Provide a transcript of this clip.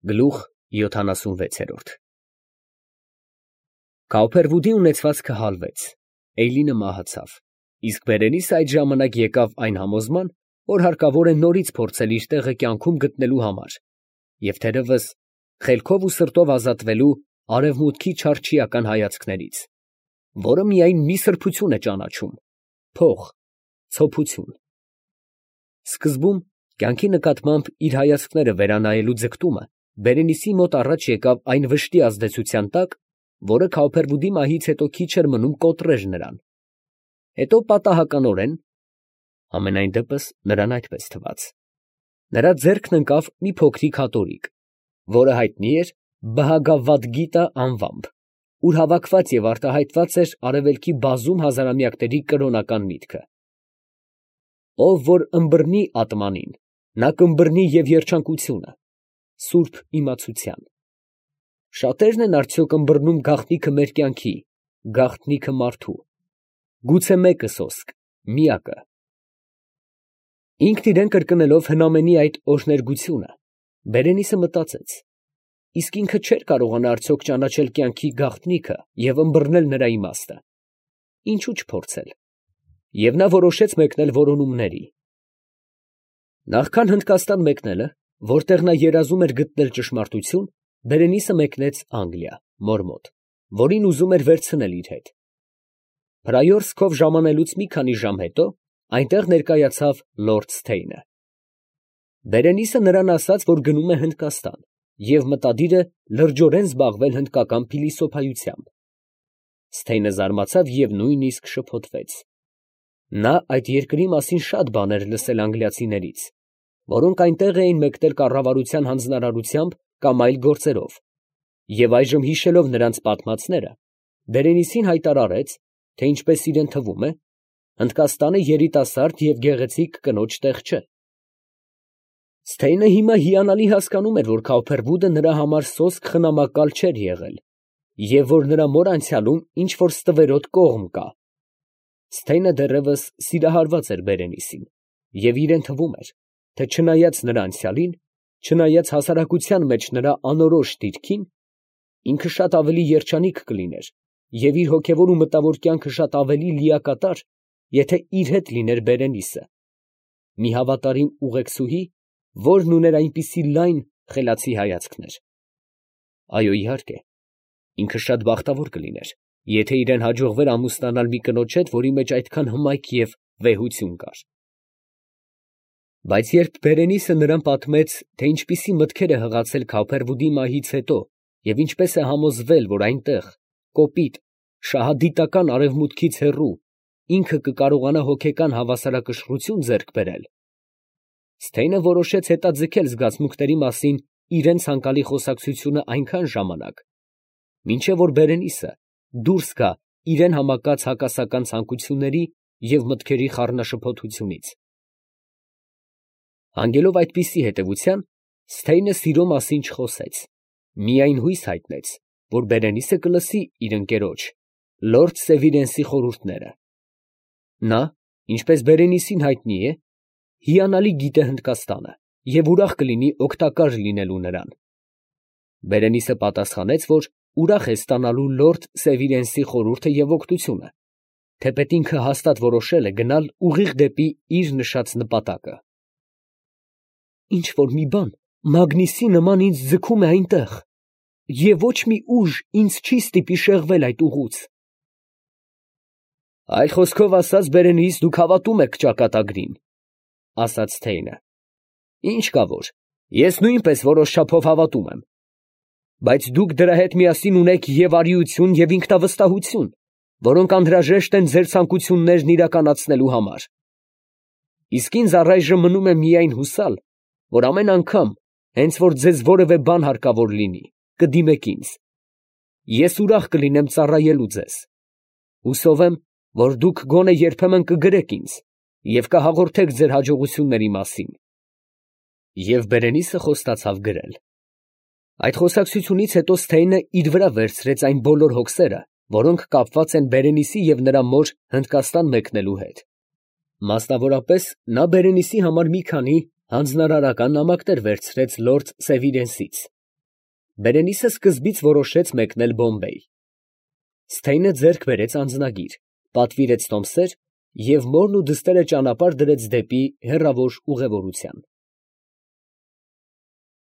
Գլուխ 76 Կաուփերվուդի ունեցվածքը հալվեց, Էյլինը մահացավ, իսկ Բերենիսը այդ ժամանակ եկավ այն համոզման, որ հարկավոր է նորից փորձել իր տեղը կյանքում գտնելու համար, և թերևս խելքով ու սրտով ազատվելու արևմուտքի չարչիական հայացքներից, որը միայն մի սրբություն է ճանաչում, փող, ցոփություն։ Սկզբում կյանքի նկատմամբ իր հայացքները վերանայելու ձգտումը Բերենիսի մոտ առաջ եկավ այն վշտի ազդեցության տակ, որը Քաուփերվուդի մահից հետո քիչ էր մնում կոտրեր նրան, հետո պատահականորեն, համենայն դեպս նրան այդպես թվաց, նրա ձեռքն ընկավ մի փոքրիկ հատորիկ, որը հայտնի էր Բհագավադգիտա անվամբ, ուր հավաքված և արտահայտված էր արևելքի բազում հազարամյակների կրոնական միտքը. ով որ ըմբռնի ատմանին, նա կըմբռնի և երջանկությունը, սուրբ իմացության։ Շատերն են արդյոք ըմբռնում գաղտնիքը մեր կյանքի, գաղտնիքը մարդու, գուցե մեկը սոսկ, միակը։ Ինքն իրան կրկնելով հնամենի այդ օրհներգությունը, Բերենիսը մտածեց. իսկ ինքը չէր կարողանա արդյոք ճանաչել կյանքի գաղտնիքը և ըմբռնել նրա իմաստը, ինչու չփորձել, և նա որոշեց մեկնել որոնումների։ Նախքան Հնդկաստան մեկնելը, որտեղ նա երազում էր գտնել ճշմարտություն, Բերենիսը մեկնեց Անգլիա, մոր մոտ, որին ուզում էր վերցնել իր հետ։ Փրայորսկով ժամանելուց մի քանի ժամ հետո այնտեղ ներկայացավ լորդ Սթեյնը։ Բերենիսը նրան ասաց, որ գնում է Հնդկաստան և մտադիր է լրջորեն զբաղվել հնդկական փիլիսոփայությամբ։ Սթեյնը զարմացավ և նույնիսկ շփոթվեց. նա այդ երկրի մասին շատ բաներ լսել անգլիացիներից, որոնք այնտեղ էին մեկնել կառավարության հանձնարարությամբ կամ այլ գործերով, և այժմ հիշելով նրանց պատմածները, Բերենիսին հայտարարեց, թե ինչպես իրան թվում է, Հնդկաստանը երիտասարդ և գեղեցիկ կնոջ տեղ չէ։ Սթեյնը հիմա հիանալի հասկանում էր, որ Քաուփերվուդը նրա համար սոսկ խնամակալ չէր եղել, և որ նրա մոր անցյալում ինչ֊որ ստվերոտ կողմ կա։ Սթեյնը դեռևս սիրահարված էր Բերենիսին, և իրան թվում էր, թե չնայած նրա անցյալին, չնայած հասարակության մեջ նրա անորոշ դիրքին, ինքը շատ ավելի երջանիկ կլիներ և իր հոգևոր ու մտավոր կյանքը շատ ավելի լիակատար, եթե իր հետ լիներ Բերենիսը, մի հավատարիմ ուղեկցուհի, որն ուներ այնպիսի լայն, խելացի հայացքներ։ Այո, իհարկե, ինքը շատ բախտավոր կլիներ, եթե իրան հաջողվեր ամուսնանալ մի կնոջ հետ, որի մեջ այդքան հմայք և վեհություն կար։ Բայց երբ Բերենիսը նրան պատմեց, թե ինչպիսի մտքեր է հղացել Քաուփերվուդի մահից հետո և ինչպես է համոզվել, որ այնտեղ, կոպիտ, շահադիտական արևմուտքից հեռու, ինքը կկարողանա հոգեկան հավասարակշռություն ձեռք բերել, Սթեյնը որոշեց հետաձգել զգացմունքների մասին իրան ցանկալի խոսակցությունը այնքան ժամանակ, մինչև որ Բերենիսը դուրս գա իրան համակած հակասական ցանկությունների և մտքերի խառնաշփոթությունից։ Հանգելով այդպիսի հետևության, Սթեյնը սիրո մասին չխոսեց, միայն հույս հայտնեց, որ Բերենիսը կլսի իր ընկերոջ, լորդ Սևիրենսի խորհուրդները։ Նա, ինչպես Բերենիսին հայտնի է, հիանալի գիտե Հնդկաստանը և ուրախ կլինի օգտակար լինելու նրան։ Բերենիսը պատասխանեց, որ ուրախ է ստանալու լորդ Սևիրենսի խորհուրդը և օգնությունը, թեպետ ինքը հաստատ որոշել է գնալ ուղիղ դեպի իր նշած նպատակը։ Ինչ֊որ մի բան մագնիսի նման ինձ ձգում է այնտեղ, և ոչ մի ուժ ինձ չի ստիպի շեղվել այդ ուղուց։ Այլ խոսքով ասած, Բերենիս, դուք հավատում եք ճակատագրին, ասաց Սթեյնը։ Ինչ կա որ, ես նույնպես որոշ չափով հավատում եմ, բայց դուք դրա հետ միասին ունեք և արիություն, և ինքնավստահություն, որոնք անհրաժեշտ են ձեր ցանկություններն իրականացնելու համար։ Իսկ ինձ առայժմ մնում է միայն հուսալ, որ ամեն անգամ, հենց որ ձեզ որևէ բան հարկավոր լինի, կդիմեք ինձ. ես ուրախ կլինեմ ծառայելու ձեզ։ Հուսով եմ, որ դուք գոնե երբեմն կգրեք ինձ և կհաղորդեք ձեր հաջողությունների մասին։ Եվ Բերենիսը խոստացավ գրել։ Այդ խոսակցությունից հետո Սթեյնը իր վրա վերցրեց այն բոլոր հոգսերը, որոնք կապված են Բերենիսի և նրա մոր Հնդկաստան մեկնելու հետ։ Մասնավորապես, նա Բերենիսի համար մի քանի հանձնարարական նամակներ վերցրեց լորդ Սևիրենսից Բերենիսը սկզբից որոշեց մեկնել Բոմբեյ։ Սթեյնը ձեռք բերեց անձնագիր, պատվիրեց տոմսեր և մորն ու դստերը ճանապարհ դրեց դեպի հեռավոր ուղևորության։